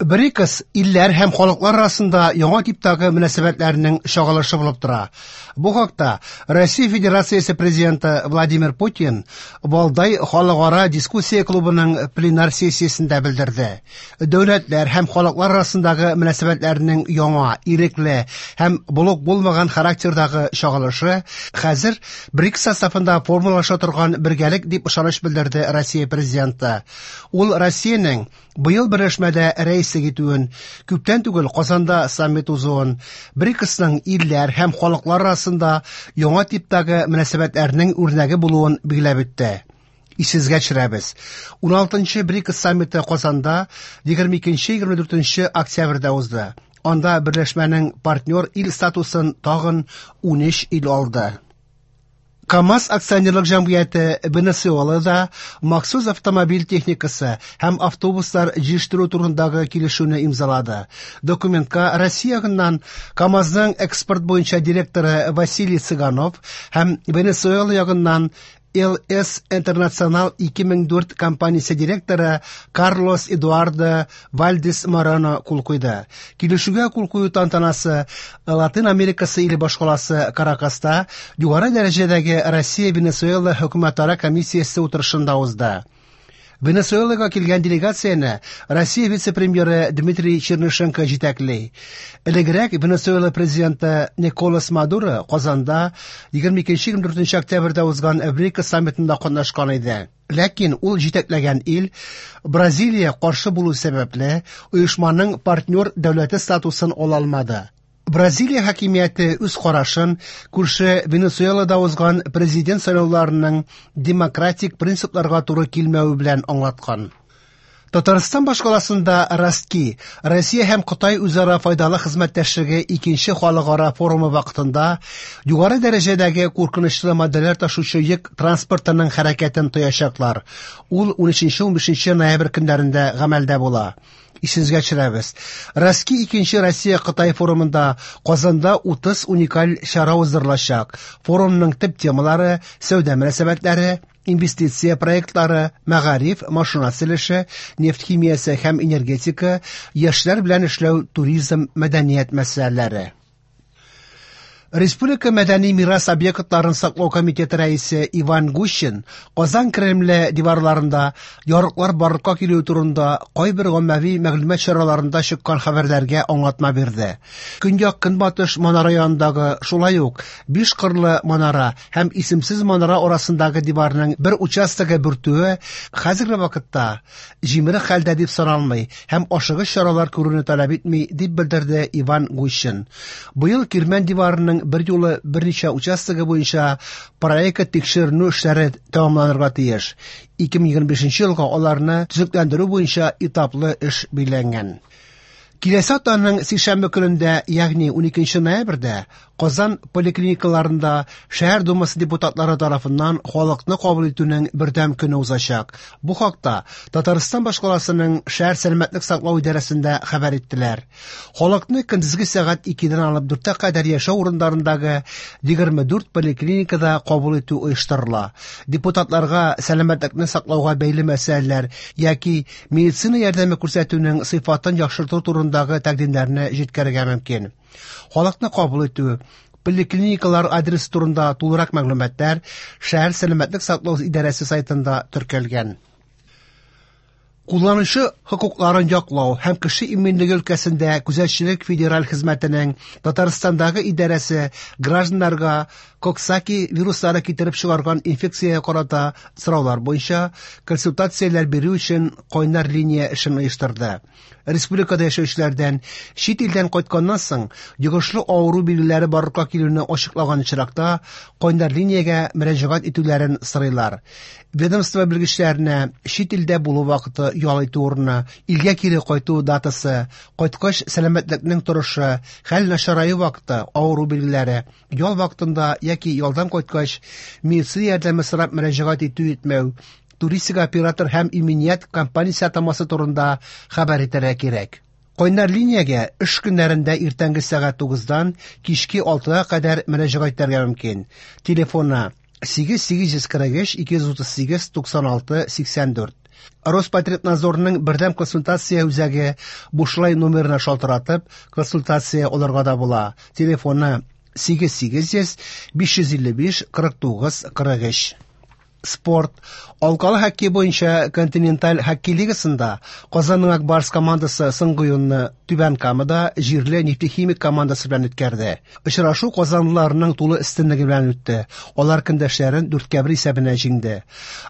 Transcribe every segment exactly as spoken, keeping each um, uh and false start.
БРИКС илләр һәм халыклар арасында яңа типтагы мөнәсәбәтләрнең чагылышы булып тора. Бу хакта Россия Федерациясе президенты Владимир Путин Валдай халыкара дискуссия клубының пленар сессиясендә белдерде. Дәүләтләр һәм халыклар арасындагы мөнәсәбәтләрнең яңа, ирекле һәм блок булмаган характердагы чагылышы хәзер БРИКС составында формалаша торган бергәлек дип ышаныч белдерде Россия президенты. Ул Россиянең быел берләшмәдә рәис итүен, күптән түгел Казанда саммит узуын, БРИКСның илләр һәм халыклар арасында яңа типтагы мөнәсәбәтләрнең үрнәге булуын билгеләп үтте. Исегезгә төшерәбез. уналтынчы БРИКС саммиты Казанда егерме икенче-егерме дүртенче октябрьдә узды. Анда берләшмәнең партнер ил статусын тагын унөч ил алды. КАМАЗ акционерлык җәмгыяте Венесуэлада махсус автомобиль техникасы һәм автобуслар җитештерү турындагы килешүне имзалады. Документка Россия ягыннан КАМАЗның экспорт буенча директоры Василий Цыганов һәм Венесуэла ягыннан Л С Интернационал ике мең дүрт компаниясе директоры Карлос Эдуардо Вальдес Морено кул куйды. Килешүгә кул кую тантанасы Латин Америкасы иле башкаласы Каракаста югары дәрәҗәдәге Россия-Венесуэла хөкүмәтара комиссиясе утырышында узды. Венесуэлага килгән делегацияне Россия вице-премьеры Дмитрий Чернышенко җитәкли. Элегрәк Венесуэла президенты Николас Мадуро Казанда егерме икенче-егерме дүртенче октябрьдә узган БРИКС саммитында катнашкан иде. Ләкин ул җитәкләгән ил Бразилия каршы булу сәбәпле оешманың партнер дәүләте статусын ала алмады. Бразилия хакимияте үз карашын күрше Венесуэлада узган президент сайлауларының демократик принципларга туры килмәве белән аңлаткан. Татарстан башкаласында Ростки, Россия һәм Кытай үзара файдалы хезмәттәшлеге икенче халыкара форумы вакытында югары дәрәҗәдәге куркынычлы матдәләр ташучы йөк транспортының хәрәкәтен тоячаклар. Ул унөченче-унбишенче ноябрь көннәрендә гамәлдә була. Исегезгә төшерәбез. Ростки икенче Россия-Кытай форумында Казанда утыз уникаль чара уздырылачак. Форумның төп темалары сәүдә мөнәсәбәтләре, инвестиция проектлары, мәгариф, машина төзелеше, нефть химиясе һәм энергетика, яшьләр белән эшләү, туризм, мәдәният мәсьәләләре. Республика мәдәни мирас объектларын саклау комитеты рәисе Иван Гущин Казан Кремле диварларында ярыклар барлыкка килү турында кайбер гаммәви мәгълүмат чараларында чыккан хәбәрләргә аңлатма бирде. Көньяк-көнбатыш манара янындагы шулай ук биш кырлы манара һәм исемсез манара арасындагы диварның бер участогы бүртүе хәзерге вакытта җимерек хәлдә дип саналмый һәм ашыгыч чаралар күрүне таләп итми, дип белдерде Иван Гущин. Быел Кирмән диварының бер юлы берничә участогы буенча проект тикшеренү эшләре тәмамланырга тиеш. ике мең егерме бишенче елга аларны төзекләндерү буенча этаплы эш билгеләнгән. Киләсе атнаның сишәмбе көнендә, ягъни уникенче ноябрьдә, Казан поликлиникаларында шәһәр думасы депутатлары тарафыннан халыкны кабул итүнең бердәм көне узачак. Бу хакта Татарстан башкаласының шәһәр сәламәтлек саклау идарәсендә хәбәр иттеләр. Халыкны көндезге сәгать икедән алып дүрткә кадәр яшәү урыннарындагы егерме дүрт поликлиникада кабул итү оештырыла. Депутатларга сәламәтлекне саклауга бәйле мәсьәләләр яки медицина ярдәме күрсәтүнең сыйфатын яхшырту турындагы тәкъдимнәрне җиткерергә мөмкин. Халыкны кабул итү, поликлиникалар адресы турында тулырак мәгълүматлар шәһәр сәламәтлек саклау идарәсе сайтында теркәлгән. Кулланучы хокукларын яклау һәм кеше иминлеге өлкәсендә күзәтчелек федераль хезмәтенең Татарстандагы идарәсе гражданнарга Коксаки вируслары китереп чыгарган инфекциягә карата сораулар буенча консультацияләр бирү өчен кайнар линия эшен оештырды. Республикада яшәүчеләрдән чит илдән кайтканнан соң йогышлы авыру билгеләре барлыкка килүне ачыклаган очракта кайнар линиягә мөрәҗәгать итүләрен сорыйлар. Ведомство белгечләренә чит илдә булу вакыты, ял итү урыны, илгә кире кайту датасы, кайткач сәламәтлекнең торышы, хәл начараю вакыты, авыру билгеләре, ял вакытында яки ялдан кайткач медицина ярдәме сорап мөрәҗәгать итү итмәү, туристик оператор һәм иминият компаниясе атамасы турында хәбәр итәргә кирәк. Кайнар линиягә эш көннәрендә иртәнге сәгать тугыздан кичке алтыга кадәр мөрәҗәгать итәргә мөмкин. Телефоны сигез сигез йөз кырык өч ике йөз утыз сигез туксан алты сиксән дүрт. Роспотребнадзорның бердәм консультация үзәге бушлай номерына шалтыратып, консультация алырга да була. Телефоны сигез сигез йөз биш йөз илле биш кырык тугыз кырык өч. Спорт. Алкалы хоккей буенча континенталь хоккей лигасында Казанның Ак Барс командасы соңгы уенны Түбән Камада җирле Нефтехимик командасы белән үткәрде. Очрашу казанлыларның тулы өстенлеге белән үтте. Алар көндәшләрен дүрткә бер исәбенә җиңде.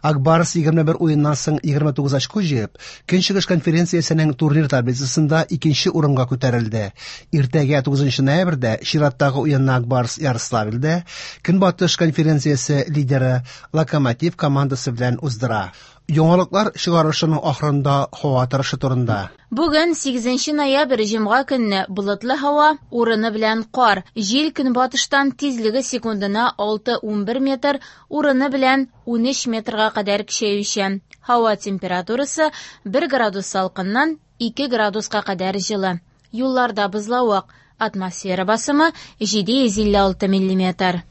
Ак Барс егерме бер уеннан соң егерме тугыз очко җыеп, Көнчыгыш конференциясенең турнир таблицасында икенче урынга күтәрелде. Иртәгә тугызынчы ноябрьдә чираттагы уенны Ак Барс Ярославльдә Көнбатыш конференциясе лидеры Локомотив командасы белән уздыра. Яңалыклар чыгарышының ахырында һава торышы турында. Бүген сигезенче ноябрь җомга көнне болытлы һава, урыны белән кар. Җил көнбатыштан тизлеге секундына алты унбер метр, урыны белән унөч метрга кадәр көчәючән. Һава температурасы бер градус салкыннан ике градуска кадәр җылы. Юлларда бозлавык. Атмосфера басымы җиде йөз илле алты миллиметр.